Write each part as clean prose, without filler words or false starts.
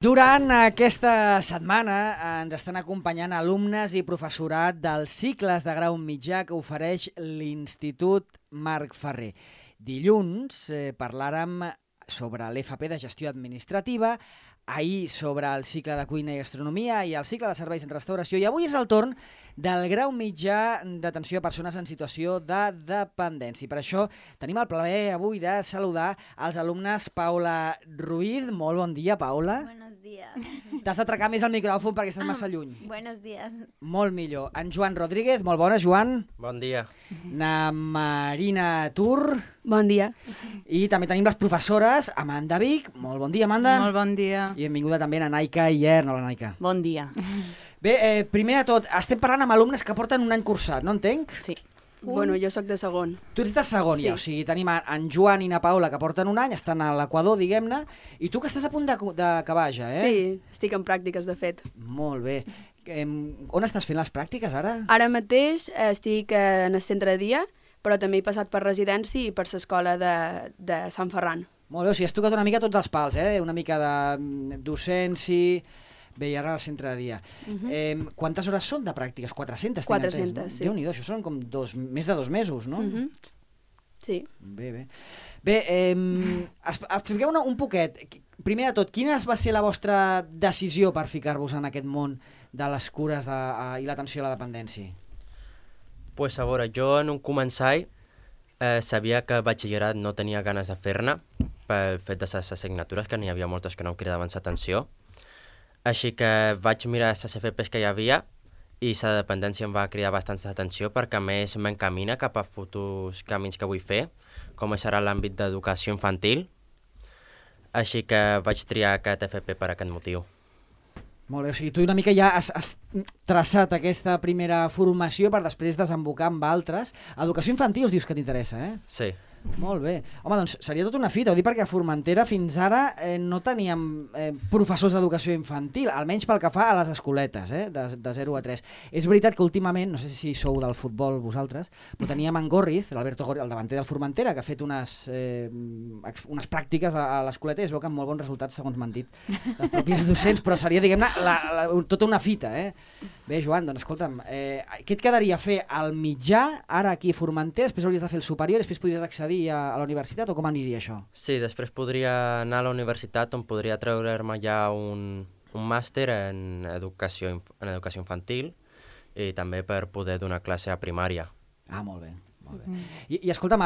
Durant aquesta setmana ens estan acompanyant alumnes i professorat dels cicles de grau mitjà que ofereix l'Institut Marc Ferrer. Dilluns parlàrem sobre l'FP de gestió administrativa, ahir sobre el cicle de cuina i gastronomia i el cicle de serveis en restauració, i avui és el torn del grau mitjà d'atenció a persones en situació de dependència. I per això tenim el plaer avui de saludar els alumnes Paula Ruiz. Molt bon dia, Paula. Buenos días. T'has d'atracar més el micròfon perquè estàs massa lluny. Buenos días. Molt millor. En Joan Rodríguez, molt bona, Joan. Bon dia. Na Marina Tur. Bon dia. I també tenim les professores, Amanda Vic. Molt bon dia, Amanda. Molt bon dia. I benvinguda també a Naika Iern. Hola, Naika. Bon dia. Bé, primer de tot, estem parlant amb alumnes que porten un any cursat, no entenc? Sí. Bueno, jo sóc de segon. Tu ets de segon, Sí. ja, o sigui, tenim en Joan i na Paula que porten un any, estan a l'Equador, diguem-ne, i tu que estàs a punt d'acabar ja, eh? Sí, estic en pràctiques, de fet. Molt bé. On estàs fent les pràctiques, ara? Ara mateix estic en el centre de dia, però també he passat per residència i per l'escola de Sant Ferran. Molt bé, o sigui, has tocat una mica tots els pals, eh? Una mica de docència. Bé, i ara al centre de dia. Quantes hores són de pràctiques? 400? 400, sí. Déu-n'hi-do, això són com més de 2 mesos, no? Sí. Bé. Bé, expliqueu un poquet. Primer de tot, quina va ser la vostra decisió per ficar-vos en aquest món de les cures i l'atenció a la dependència? Pues a veure, jo en un començall sabia que batxillerat no tenia ganes de fer-ne pel fet de les assignatures, que n'hi havia moltes que no em cridaven l'atenció. Així que vaig mirar les FPs que hi havia i la dependència em va cridar bastanta atenció perquè a més m'encamina cap a futurs camins que vull fer, com serà l'àmbit d'educació infantil. Així que vaig triar aquest FP per aquest motiu. Molt bé, o sigui, tu una mica ja has traçat aquesta primera formació per després desembocar amb altres. Educació infantil dius que t'interessa, eh? Sí. Molt bé. Home, doncs seria tota una fita, ho dic perquè a Formentera fins ara no teníem professors d'educació infantil, almenys pel que fa a les escoletes, de 0 a 3. És veritat que últimament, no sé si sou del futbol vosaltres, però teníem en Gorriz, l'Alberto Gorriz, el davanter del Formentera, que ha fet unes pràctiques a l'escoleta i es veu que amb molt bons resultats, segons m'han dit els propis docents, però seria, diguem-ne, tota una fita, eh? Bé, Joan, doncs escolta'm, què et quedaria fer el mitjà, ara aquí a Formentera, després hauries de fer el superior, després podries accedir a la universitat, o com aniria això? Sí, després podria anar a la universitat on podria treure-me ja un màster en educació infantil i també per poder donar classe a primària. Ah, molt bé. Molt bé. I escolta'm,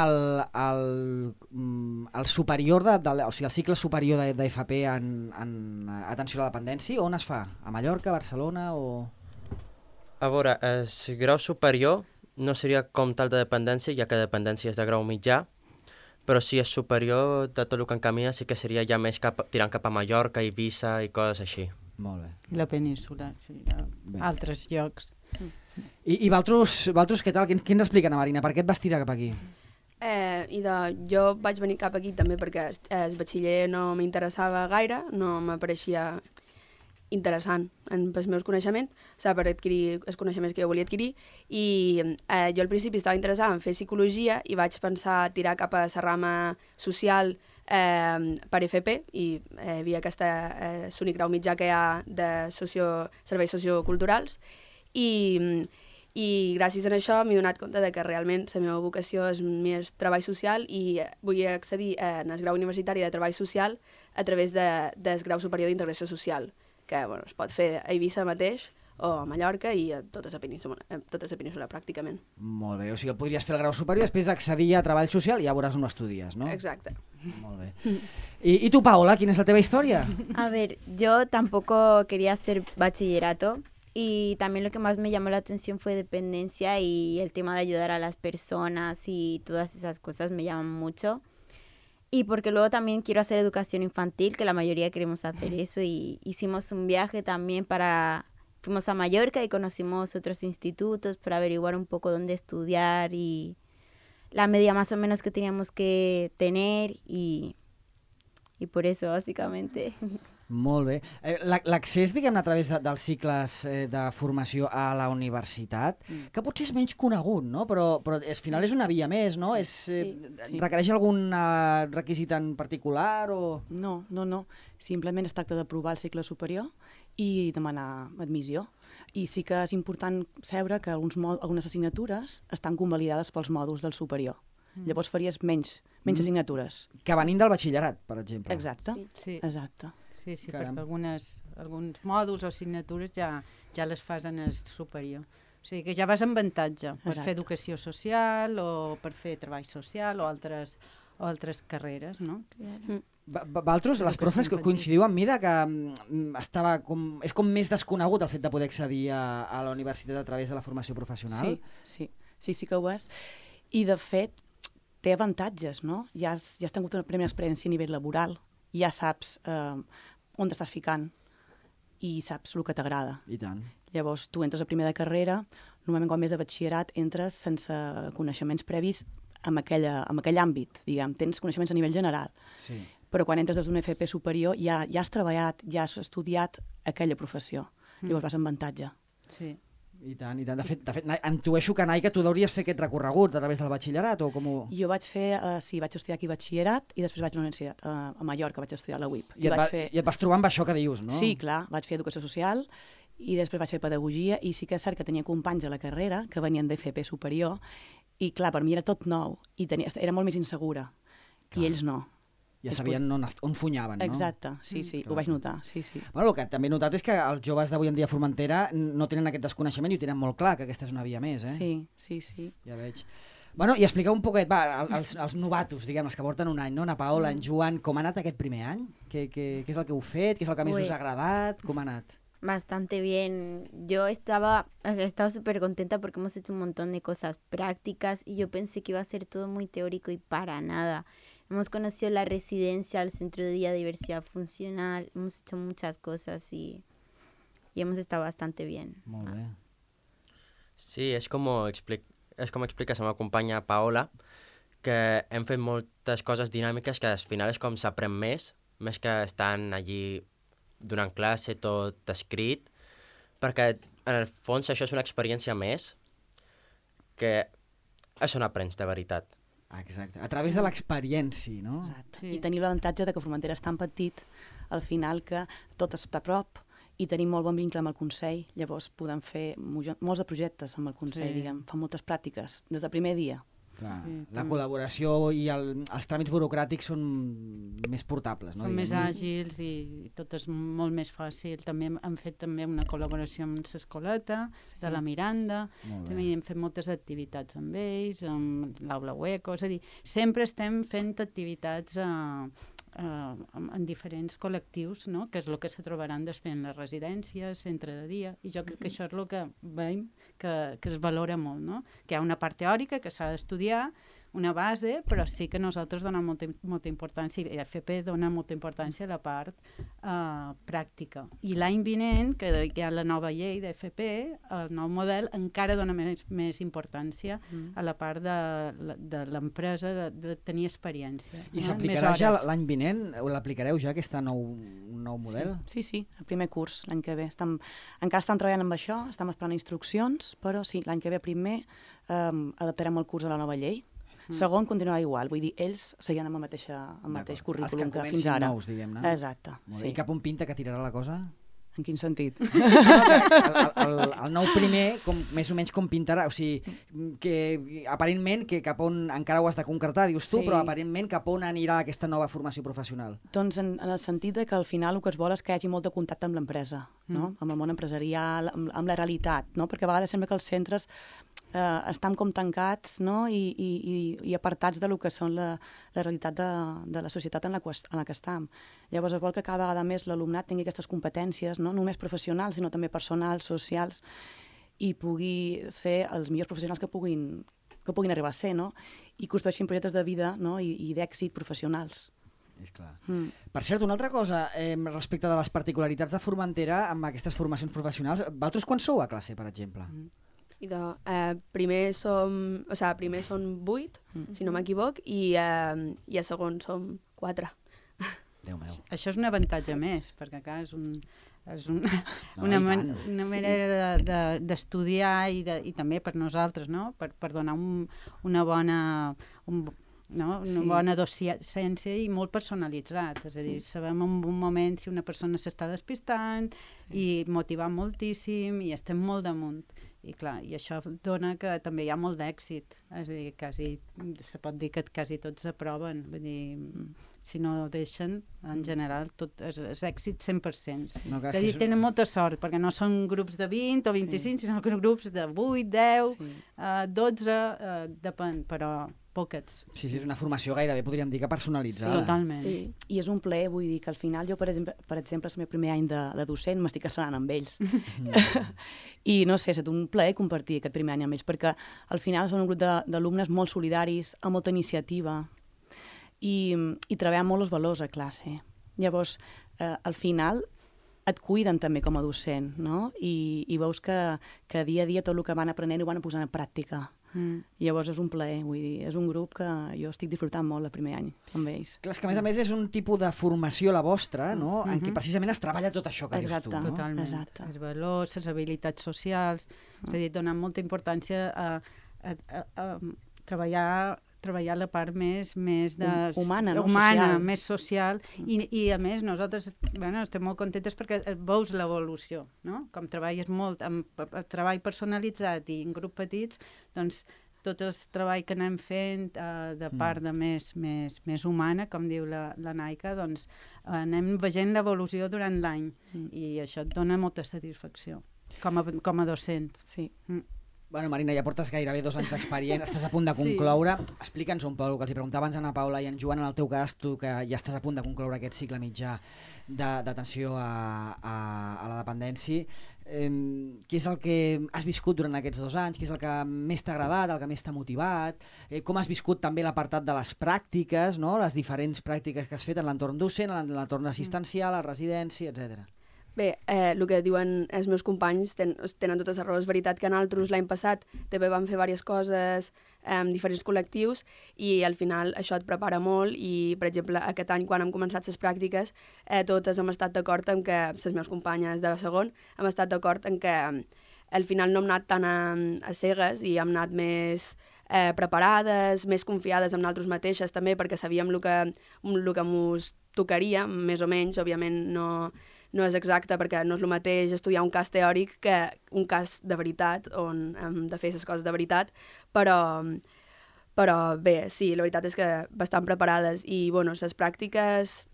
el superior, o sigui, el cicle superior d'FP en atenció a la dependència, on es fa? A Mallorca, a Barcelona o...? A veure, el grau superior no seria com tal de dependència, ja que dependència és de grau mitjà, però si és superior de tot el que encamina sí que seria ja més tirant cap a Mallorca, Eivissa i coses així. Molt bé. La península, sí, altres llocs. I vosaltres què tal? Què ens expliquen, Marina? Per què et vas tirar cap aquí? Jo vaig venir cap aquí també perquè el batxiller no m'interessava gaire, no m'apareixia interessant pels meus coneixements, per adquirir els coneixements que jo volia adquirir, i jo al principi estava interessada en fer psicologia i vaig pensar tirar cap a la rama social per FP, i hi havia l'únic grau mitjà que hi ha de serveis socioculturals, i gràcies a això m'he donat compte de que realment la meva vocació és més treball social i vull accedir al grau universitari de treball social a través del grau superior d'integració social, que es pot fer a Eivissa mateix o a Mallorca i a tota la península pràcticament. Molt bé, o sigui, podries fer el grau superior, després accedir a treball social i ja veuràs on ho estudies, no? Exacte. Molt bé. ¿Y tú, Paola, quina és la teva història? A ver, yo tampoco quería hacer bachillerato y también lo que más me llamó la atención fue dependencia y el tema de ayudar a las personas y todas esas cosas me llaman mucho. Y porque luego también quiero hacer educación infantil, que la mayoría queremos hacer eso, y hicimos un viaje también fuimos a Mallorca y conocimos otros institutos para averiguar un poco dónde estudiar y la media más o menos que teníamos que tener y por eso básicamente. Molt bé. L'accés, diguem-ne, a través dels cicles de formació a la universitat, que potser és menys conegut, no? Però al final és una via més, no? Requereix algun requisit en particular o...? No. Simplement es tracta d'aprovar el cicle superior i demanar admissió. I sí que és important saber que algunes assignatures estan convalidades pels mòduls del superior. Llavors faries menys assignatures. Que venint del batxillerat, per exemple. Exacte. Sí. Exacte. Sí, perquè alguns mòduls o assignatures ja les fas en el superior. O sigui que ja vas amb avantatge per fer educació social o per fer treball social o altres carreres, no? Vosaltres, les profes, coincidiu amb mi que és com més desconegut el fet de poder accedir a la universitat a través de la formació professional? Sí que ho és. I, de fet, té avantatges, no? Ja has tingut una primera experiència a nivell laboral, ja saps on t'estàs ficant i saps el que t'agrada. I tant. Llavors, tu entres a primer de carrera, normalment quan més de batxillerat entres sense coneixements previs en aquell àmbit, diguem, tens coneixements a nivell general. Sí. Però quan entres des d'una FP superior ja has treballat, ja has estudiat aquella professió. Llavors vas amb avantatge. Sí. I tant. De fet, intueixo que, Nai, que tu hauries fet aquest recorregut a través del batxillerat o com ho... Jo vaig estudiar aquí batxillerat i després vaig a la universitat, a Mallorca, vaig estudiar a la UIP. I et vas trobar amb això que dius, no? Sí, clar, vaig fer educació social i després vaig fer pedagogia i sí que és cert que tenia companys a la carrera que venien d'FP superior i clar, per mi era tot nou i era molt més insegura i ells no. Ja sabien on funyaven, no? Exacte, sí, ho vaig notar, sí. Bueno, el que també he notat és que els joves d'avui en dia a Formentera no tenen aquest desconeixement i ho tenen molt clar, que aquesta és una via més, eh? Sí. Ja veig. Bueno, i expliqueu un poquet, els novatos, diguem, els que porten un any, no? Na Paola, en Joan, com ha anat aquest primer any? Què és el que heu fet? Què és el que més us ha agradat? Com ha anat? Bastante bien. Yo estaba súper contenta porque hemos hecho un montón de cosas prácticas y yo pensé que iba a ser todo muy teórico y para nada. Hemos conocido la residencia, el centro de día de diversidad funcional, hemos hecho muchas cosas y hemos estado bastante bien. Molt bé. Sí, és com explica la meva companya Paola, que hem fet moltes coses dinàmiques que al final és com s'aprèn més que estan allí donant classe, tot escrit, perquè en el fons això és una experiència més que és on aprens de veritat. Exacte, a través de l'experiència, no? Exacte. Sí. I tenim l'avantatge de que Formentera és tan petit, al final que tot està a prop i tenim molt bon vincle amb el Consell, llavors podem fer molts de projectes amb el Consell, diguem, fa moltes pràctiques des del primer dia. Clar, la col·laboració i els tràmits burocràtics són més portables, no? Són més àgils i tot és molt més fàcil. També hem fet també una col·laboració amb l'Escoleta, de la Miranda, també hem fet moltes activitats amb ells, amb l'Aula Hueco, és a dir, sempre estem fent activitats en diferents col·lectius, no? Que és el que se trobaran després en les residències, centre de dia, i jo crec que això és el que veiem que es valora molt, no? Que hi ha una part teòrica que s'ha d'estudiar, una base, però sí que nosaltres donem molta importància, i FP dona molta importància a la part pràctica. I l'any vinent, que hi ha la nova llei d'FP, el nou model encara dona més importància a la part de l'empresa, de tenir experiència. I s'aplicarà ja l'any vinent? L'aplicareu ja, aquest nou model? Sí, el primer curs, l'any que ve. Encara estan treballant amb això, estem esperant instruccions, però sí, l'any que ve primer adaptarem el curs a la nova llei. Segon, continuarà igual, vull dir, ells seguien amb el mateix currículum que fins ara. Els que comencin nous, diguem-ne. Exacte, sí. I cap on pinta que tirarà la cosa? En quin sentit? El nou primer, més o menys com pintarà, o sigui, que aparentment que cap on encara ho has de concretar, dius tu, però aparentment cap on anirà aquesta nova formació professional? Doncs en el sentit que al final el que es vol és que hi hagi molt de contacte amb l'empresa, no? Amb el món empresarial, amb la realitat, no? Perquè a vegades sembla que els centres estan com tancats, no? I apartats de lo que són la realitat de la societat en la que estem. Llavors es vol que cada vegada més l'alumnat tingui aquestes competències, no només professionals, sinó també personals, socials, i pugui ser els millors professionals que puguin arribar a ser, no? I construeixin projectes de vida, no? I d'èxit professionals. És clar. Per cert, una altra cosa, respecte de les particularitats de Formentera amb aquestes formacions professionals, vosaltres quan sou a classe, per exemple? Primer són 8, si no m'equivoc, i a segon som 4. Déu meu. Això és un avantatge més, perquè clar, és No, una i tant. manera d'estudiar i també per nosaltres, no? Per donar una bona docència i molt personalitzat. És a dir, sabem en un moment si una persona s'està despistant i motivant moltíssim i estem molt damunt. I clar, i això dona que també hi ha molt d'èxit. És a dir, se pot dir que quasi tots aproven. Vull dir, si no deixen, en general, tot és èxit 100%. No, clar, és a dir, tenen molta sort, perquè no són grups de 20 o 25, sinó que grups de 8, 10, 12, depèn, però pockets. Sí, és una formació gairebé, podríem dir, que personalitzada. Totalment. Sí. I és un plaer, vull dir que al final jo, per exemple, el meu primer any de docent m'estic assessorant amb ells. I no sé, ha estat un plaer compartir aquest primer any amb ells, perquè al final són un grup d'alumnes molt solidaris, amb molta iniciativa, i treballen molt els valors a classe. Llavors, al final, et cuiden també com a docent, no? I veus que dia a dia tot el que van aprenent ho van posant en pràctica. Llavors és un plaer, vull dir, és un grup que jo estic disfrutant molt el primer any amb ells. Clar, és que a més és un tipus de formació la vostra, no? En què precisament es treballa tot això que dius tu, no? Totalment. Exacte. Els valors, les habilitats socials, és a dir, donen molta importància a treballar la part més humana, no? humana, Social. més social, i a més nosaltres estem molt contentes perquè veus l'evolució, no? Com treballes molt amb treball personalitzat i en grups petits, doncs tot el treball que anem fent de part de més humana, com diu la Naika, doncs anem veient l'evolució durant l'any i això et dona molta satisfacció com a docent. Sí. Bueno, Marina, ja portes gairebé 2 anys d'experiència, estàs a punt de concloure. Explica'ns un poc el que els preguntava abans Ana Paula i en Joan, en el teu cas, tu que ja estàs a punt de concloure aquest cicle mitjà d'atenció a la dependència. Què és el que has viscut durant aquests 2 anys? Què és el que més t'ha agradat, el que més t'ha motivat? Com has viscut també l'apartat de les pràctiques, no? Les diferents pràctiques que has fet en l'entorn docent, en l'entorn assistencial, a residència, etc. Bé, el que diuen els meus companys tenen totes les raons. És veritat que nosaltres l'any passat també vam fer diverses coses amb diferents col·lectius i al final això et prepara molt i, per exemple, aquest any quan hem començat les pràctiques totes hem estat d'acord en que, les meves companyes de segon, hem estat d'acord en que al final no hem anat tant a cegues i hem anat més preparades, més confiades en nosaltres mateixes també perquè sabíem el que mos tocaria, més o menys, òbviament no és exacte perquè no és el mateix estudiar un cas teòric que un cas de veritat, on hem de fer les coses de veritat, però bé, sí, la veritat és que bastant preparades i, bueno, les pràctiques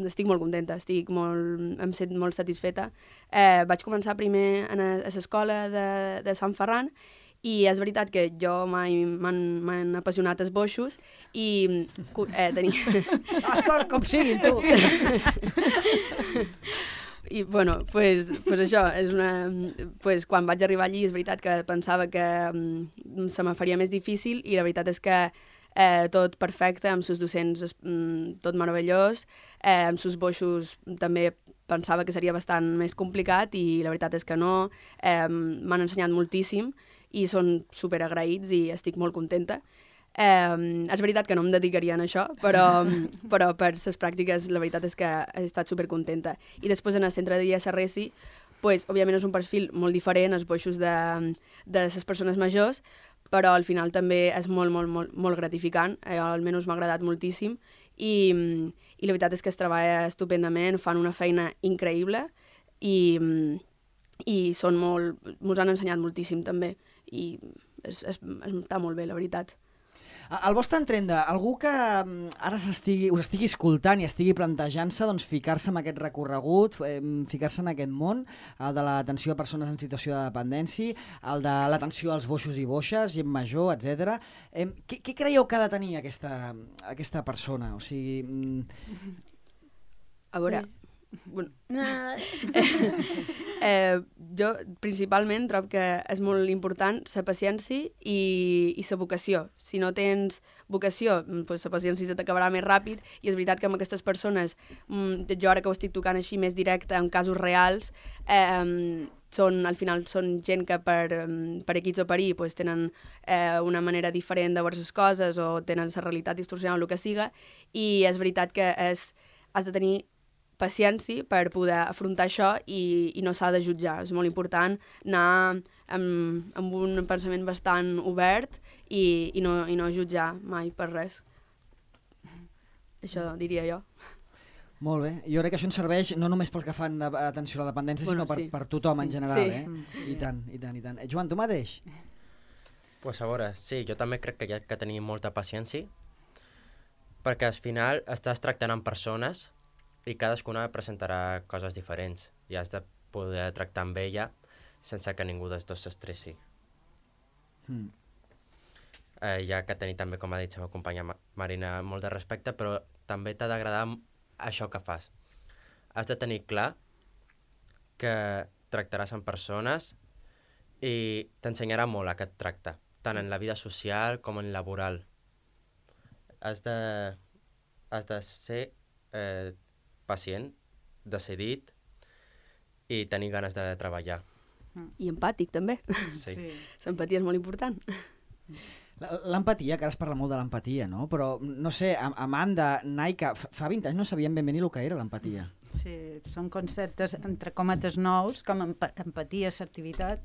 estic molt contenta, em sent molt satisfeta. Vaig començar primer a l'escola de Sant Ferran i és veritat que jo mai m'han apassionat els boixos i tenia... Com sigui, tu! I, bueno, pues això, quan vaig arribar allí és veritat que pensava que se me faria més difícil i la veritat és que tot perfecte, amb sus docents tot meravellós, amb sus boixos també pensava que seria bastant més complicat i la veritat és que no, m'han ensenyat moltíssim i són superagraïts i estic molt contenta. És veritat que no em dedicaria a això, però per les pràctiques la veritat és que he estat supercontenta. I després en el centre de dia Serresi, òbviament és un perfil molt diferent, els boixos de les persones majors, però al final també és molt, molt, molt, molt gratificant, almenys m'ha agradat moltíssim, i la veritat és que es treballa estupendament, fan una feina increïble i mos han ensenyat moltíssim també, i està molt bé, la veritat. Al vostre entendre, algú que ara us estigui escoltant i estigui plantejant-se ficar-se en aquest recorregut, ficar-se en aquest món, el de l'atenció a persones en situació de dependència, el de l'atenció als boixos i boixes, gent major, etc. Què creieu que ha de tenir aquesta persona? O sigui... A veure... Bueno, Nada. jo principalment trobo que és molt important la paciència i la vocació. Si no tens vocació, doncs la paciència se t'acabarà més ràpid, i és veritat que amb aquestes persones, jo ara que ho estic tocant així més directe, en casos reals, al final són gent que per X o per Y pues, tenen una manera diferent de veure les coses o tenen la realitat distorsionada o el que siga, i és veritat que has de tenir paciència per poder afrontar això i no s'ha de jutjar. És molt important anar amb un pensament bastant obert i no jutjar mai per res. Això diria jo. Molt bé. Jo crec que això ens serveix no només pels que fan atenció a la dependència, sinó per tothom en general. Sí. I tant, i tant, i tant. Joan, tu mateix? Pues a veure, sí, jo també crec que hi ha que tenir molta paciència, perquè al final estàs tractant amb persones i cadascuna presentarà coses diferents i has de poder tractar amb ella sense que ningú dels dos s'estressi. Hi ha que tenir també, com ha dit la meva companya Marina, molt de respecte, però també t'ha d'agradar això que fas. Has de tenir clar que tractaràs amb persones i t'ensenyarà molt aquest tracte, tant en la vida social com en laboral. Has de ser pacient, decidit i tenir ganes de treballar. I empàtic, també. Sí. L'empatia és molt important. L'empatia, que ara es parla molt de l'empatia, no? Però, no sé, Amanda, Naika, fa 20 anys no sabíem ben bé el que era l'empatia. Sí, són conceptes entre cometes nous, com empatia, assertivitat,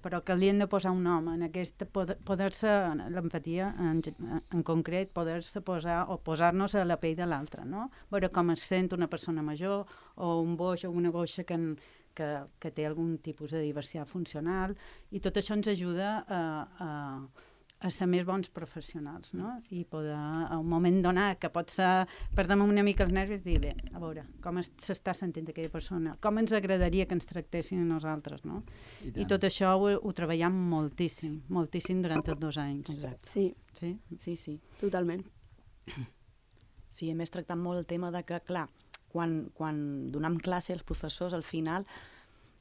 però que li hem de posar un nom en aquesta, poder-se, l'empatia en concret, poder-se posar o posar-nos a la pell de l'altre, no? Veure com es sent una persona major o un boix o una boixa que té algun tipus de diversitat funcional, i tot això ens ajuda a ser més bons professionals, no? I poder, a un moment donat, que pot ser, perdem una mica els nervis, dir, bé, a veure, com s'està sentint aquella persona, com ens agradaria que ens tractessin a nosaltres, no? I tot això ho treballem moltíssim, moltíssim durant els 2 anys. Exacte. Sí. Totalment. Sí, a més tractant molt el tema de que, clar, quan donem classe als professors, al final,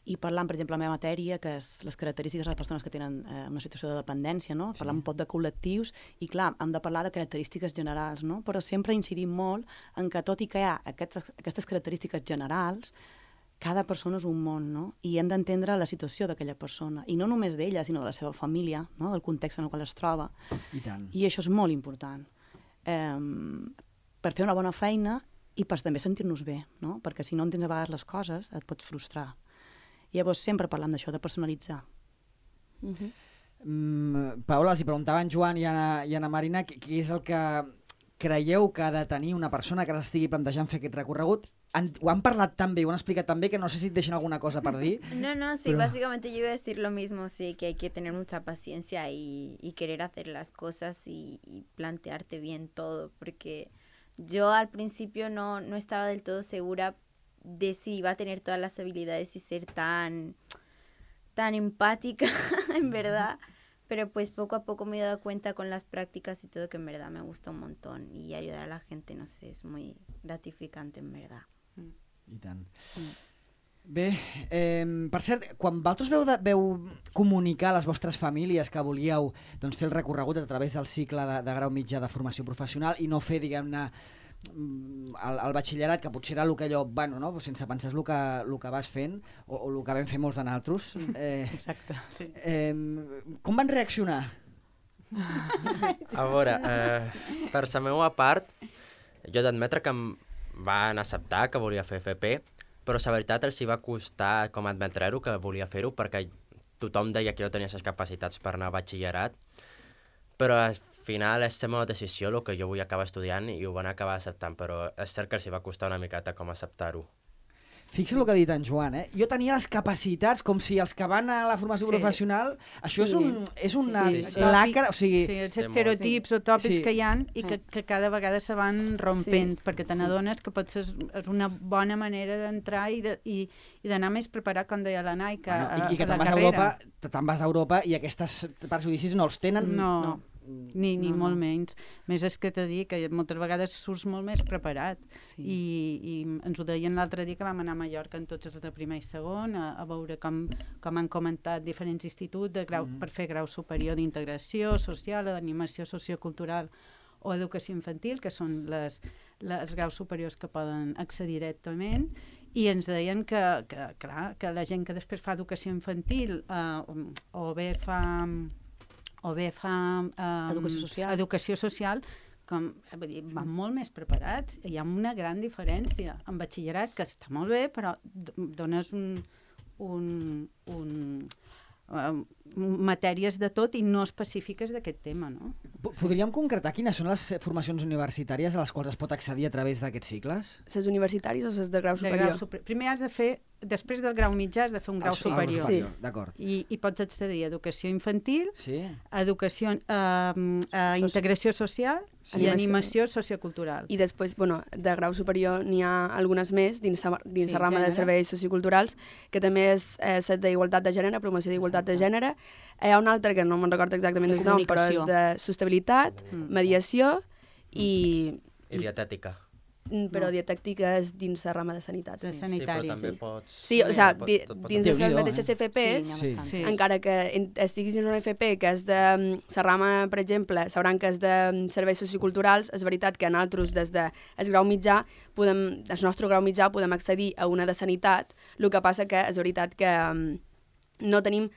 i parlant, per exemple, la meva matèria, que és les característiques de les persones que tenen una situació de dependència, no? Sí. Parlant un poc de col·lectius, i clar, hem de parlar de característiques generals, no? Però sempre incidim molt en que, tot i que hi ha aquestes característiques generals, cada persona és un món, no? I hem d'entendre la situació d'aquella persona, i no només d'ella, sinó de la seva família, no? Del context en el qual es troba. I tant. I això és molt important. Per fer una bona feina i per també sentir-nos bé, no? Perquè si no entens a vegades les coses, et pots frustrar. Llavors sempre parlem d'això, de personalitzar. Paula, els hi preguntava en Joan i a Marina què és el que creieu que ha de tenir una persona que s'estigui plantejant fer aquest recorregut. Ho han parlat tan bé, ho han explicat tan bé que no sé si et deixen alguna cosa per dir. No, sí, básicamente yo iba a decir lo mismo, sí, que hay que tener mucha paciencia y querer hacer las cosas y plantearte bien todo, porque yo al principio no estaba del todo segura de si iba a tener todas las habilidades y ser tan empática, en verdad. Pero pues poco a poco me he dado cuenta con las prácticas y todo que en verdad me gusta un montón. Y ayudar a la gente, no sé, es muy gratificante, en verdad. I tant. Bé, per cert, quan vosaltres veu comunicar a les vostres famílies que volíeu fer el recorregut a través del cicle de grau mitjà de formació professional i no fer, diguem-ne, el batxillerat, que potser era el que allò, bueno, no? Sense pensar el que vas fent o el que vam fer molts de nosaltres. Exacte, sí. Com van reaccionar? A veure, per la meva part, jo he d'admetre que em van acceptar que volia fer FP, però la veritat els hi va costar com admetre-ho, que volia fer-ho, perquè tothom deia que jo tenia les capacitats per anar a batxillerat, però al final és la meva decisió el que jo vull acabar estudiant i ho van acabar acceptant, però és cert que els hi va costar una miqueta com acceptar-ho. Fixa't el que ha dit en Joan, Jo tenia les capacitats com si els que van a la formació professional, això és una lacra, o sigui... Sí, els estereotips o tòpics que hi ha i que cada vegada se van rompent, perquè te n'adones que potser és una bona manera d'entrar i d'anar més preparat, com deia la Naika, a la carrera. I que te'n vas a Europa i aquestes perjudicis no els tenen. No. Ni molt menys. Més és que t'he dit que moltes vegades surts molt més preparat. I ens ho deien l'altre dia que vam anar a Mallorca en tots els de primer i segon a veure com han comentat diferents instituts per fer grau superior d'integració social, d'animació sociocultural o educació infantil, que són les graus superiors que poden accedir directament, i ens deien que la gent que després fa educació infantil o bé fa educació social, van molt més preparats. Hi ha una gran diferència. En batxillerat, que està molt bé, però dones matèries de tot i no específiques d'aquest tema, no? Podríem concretar quines són les formacions universitàries a les quals es pot accedir a través d'aquests cicles? Les universitàries o les de grau superior? Primer has de fer, després del grau mitjà has de fer un grau superior. Sí. D'acord. I pots accedir a educació infantil, sí, a educació, integració social i animació sociocultural. I després, de grau superior n'hi ha algunes més dins la rama de serveis socioculturals, que també és set d'igualtat de gènere, promoció d'igualtat de gènere. Hi ha un altre que no me'n recordo exactament el nom, però és de sostenibilitat, mediació i dietètica. Però dietètica és dins la rama de sanitat. De sanitari. Sí, però també pots... Sí, o sigui, dins de les mateixes FPs, encara que estiguis dins una FP que és de la rama, per exemple, sabran que és de serveis socioculturals, és veritat que nosaltres des del grau mitjà, el nostre grau mitjà, podem accedir a una de sanitat, el que passa que és veritat que no tenim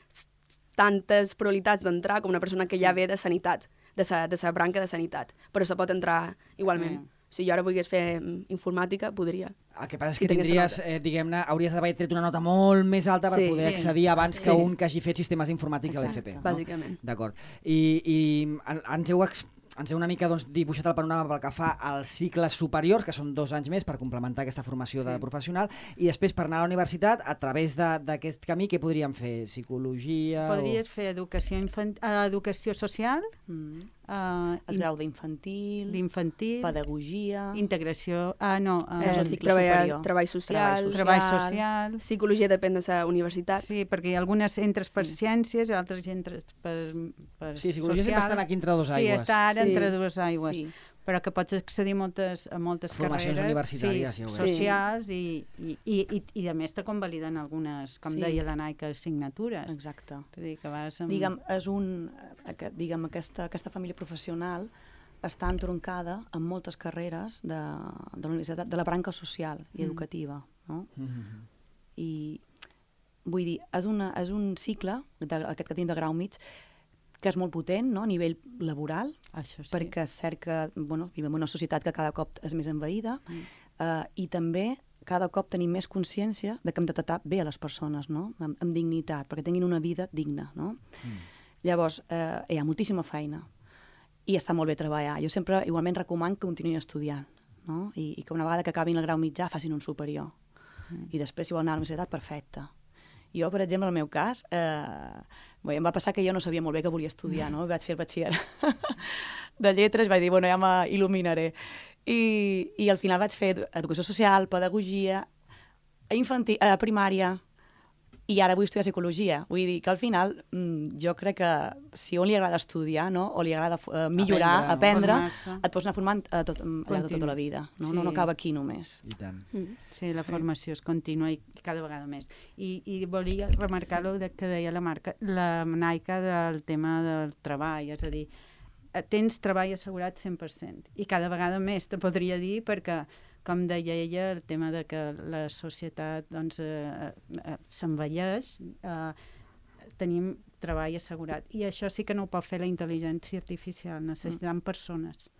tantes probabilitats d'entrar com una persona que ja ve de sanitat, de la branca de sanitat, però se pot entrar igualment. Si jo ara volgués fer informàtica, podria. El que passa és que tindries, diguem-ne, hauries d'haver tret una nota molt més alta per poder accedir abans que un que hagi fet sistemes informàtics a l'FP. Bàsicament. D'acord. I ens heu una mica dibuixat el panorama pel que fa als cicles superiors, que són 2 anys més per complementar aquesta formació de professional, i després per anar a la universitat, a través d'aquest camí, què podríem fer? Psicologia? Podries fer educació social, el grau d'infantil, pedagogia, integració, treball social, psicologia depèn de la universitat. Sí, perquè algunes entres per ciències i altres entres per sí, psicologia sempre estan aquí entre dues aigües. Sí, està ara entre dues aigües. Però que pots accedir a moltes formacions carreres universitàries, socials i a més te convaliden algunes, com deia la Naica, assignatures. Exacte. Digue'm, aquesta família professional està entroncada amb moltes carreres de la universitat, de la branca social i educativa, no? I vull dir, és un cicle, aquest que tenim de grau mig, que és molt potent, no?, a nivell laboral, perquè és cert que vivim en una societat que cada cop és més envaïda, i també cada cop tenim més consciència de que hem de tractar bé a les persones, no?, amb dignitat, perquè tinguin una vida digna, no? Llavors, hi ha moltíssima feina i està molt bé treballar. Jo sempre igualment recomano que continuïn estudiant, no?, i que una vegada que acabin el grau mitjà facin un superior. I després, si volen anar a la universitat, perfecte. Jo, per exemple, en el meu cas, em va passar que jo no sabia molt bé què volia estudiar, no? Vaig fer el batxillerat de lletres, vaig dir, ja m'il·luminaré. I al final vaig fer educació social, pedagogia, infantil, primària, i ara vull estudiar psicologia. Vull dir que al final jo crec que si a un li agrada estudiar, no?, o li agrada millorar, aprendre, et pots anar formant al llarg de tota la vida. No acaba aquí només. I tant. Sí, la formació és contínua i cada vegada més. I volia remarcar el que deia la Naica del tema del treball, és a dir, tens treball assegurat 100%, i cada vegada més te podria dir, perquè com deia ella, el tema de que la societat s'envelleix, tenim treball assegurat. I això sí que no ho pot fer la intel·ligència artificial, necessitem persones.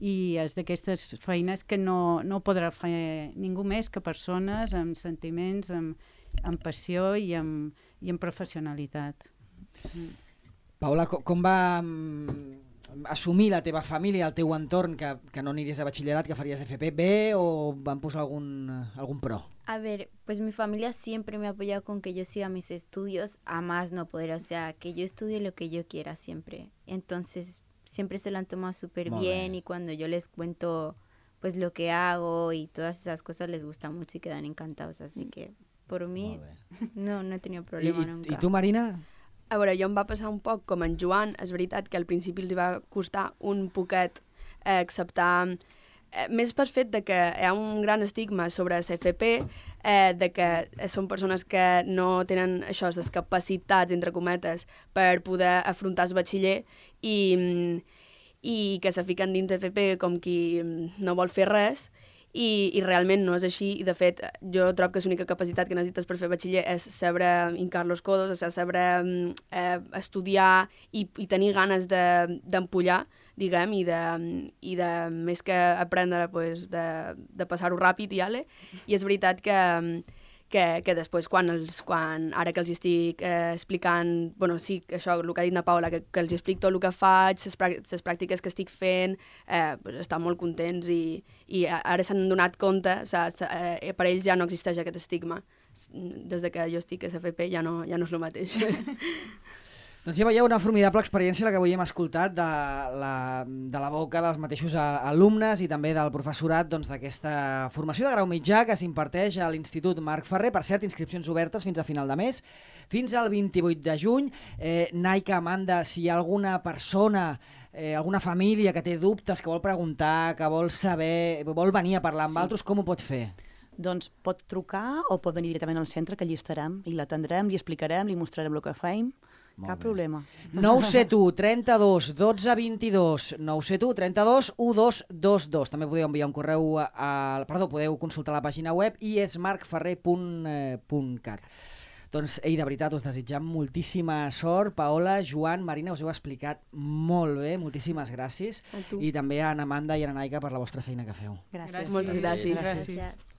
I és d'aquestes feines que no podrà fer ningú més que persones amb sentiments, amb passió i amb professionalitat. Paula, com va assumir la teva família, el teu entorn, que no aniries a batxillerat, que faries FP, bé, o van posar algún pro? A ver, pues mi familia siempre me ha apoyado con que yo siga mis estudios a más no poder, o sea, que yo estudie lo que yo quiera siempre. Entonces, siempre se lo han tomado súper bien, y cuando yo les cuento pues lo que hago y todas esas cosas les gusta mucho y quedan encantados, así que por mí no he tenido problema nunca. ¿Y tú, Marina? A veure, jo em va passar un poc com en Joan, és veritat que al principi els va costar un poquet acceptar, més per fet de que hi ha un gran estigma sobre l'FP, de que són persones que no tenen això, les capacitats, entre cometes, per poder afrontar el batxiller i que se fiquen dins FP com qui no vol fer res, i realment no és així, i de fet jo trobo que l'única capacitat que necessites per fer batxiller és saber hincar los codos, o sigui, saber estudiar i tenir ganes d'empullar, diguem, i de més que aprendre pues, de passar-ho ràpid i ale, i és veritat que després, ara que els estic explicant, bueno, sí, això, el que ha dit na Paula, que els explico tot el que faig, les pràctiques que estic fent, estan molt contents i ara s'han donat compte, o sigui, per ells ja no existeix aquest estigma. Des de que jo estic a SFP ja no és el mateix. Doncs ja veieu una formidable experiència la que avui hem escoltat de la boca dels mateixos alumnes i també del professorat d'aquesta formació de grau mitjà que s'imparteix a l'Institut Marc Ferrer. Per cert, inscripcions obertes fins a final de mes, fins al 28 de juny. Naika, Amanda, si hi ha alguna persona, alguna família que té dubtes, que vol preguntar, que vol saber, vol venir a parlar amb altres, com ho pot fer? Doncs pot trucar o pot venir directament al centre, que allí estarem i l'atendrem, li explicarem, li mostrarem el que fem. Cap problema. 971 32 12 22 971 32 1222. També podeu enviar un correu podeu consultar la pàgina web iesmarcferrer.cat. Doncs, de veritat, us desitjam moltíssima sort. Paola, Joan, Marina, us heu explicat molt bé, moltíssimes gràcies. I també a Amanda i a Naika per la vostra feina que feu. Gràcies. Moltes gràcies. Gràcies.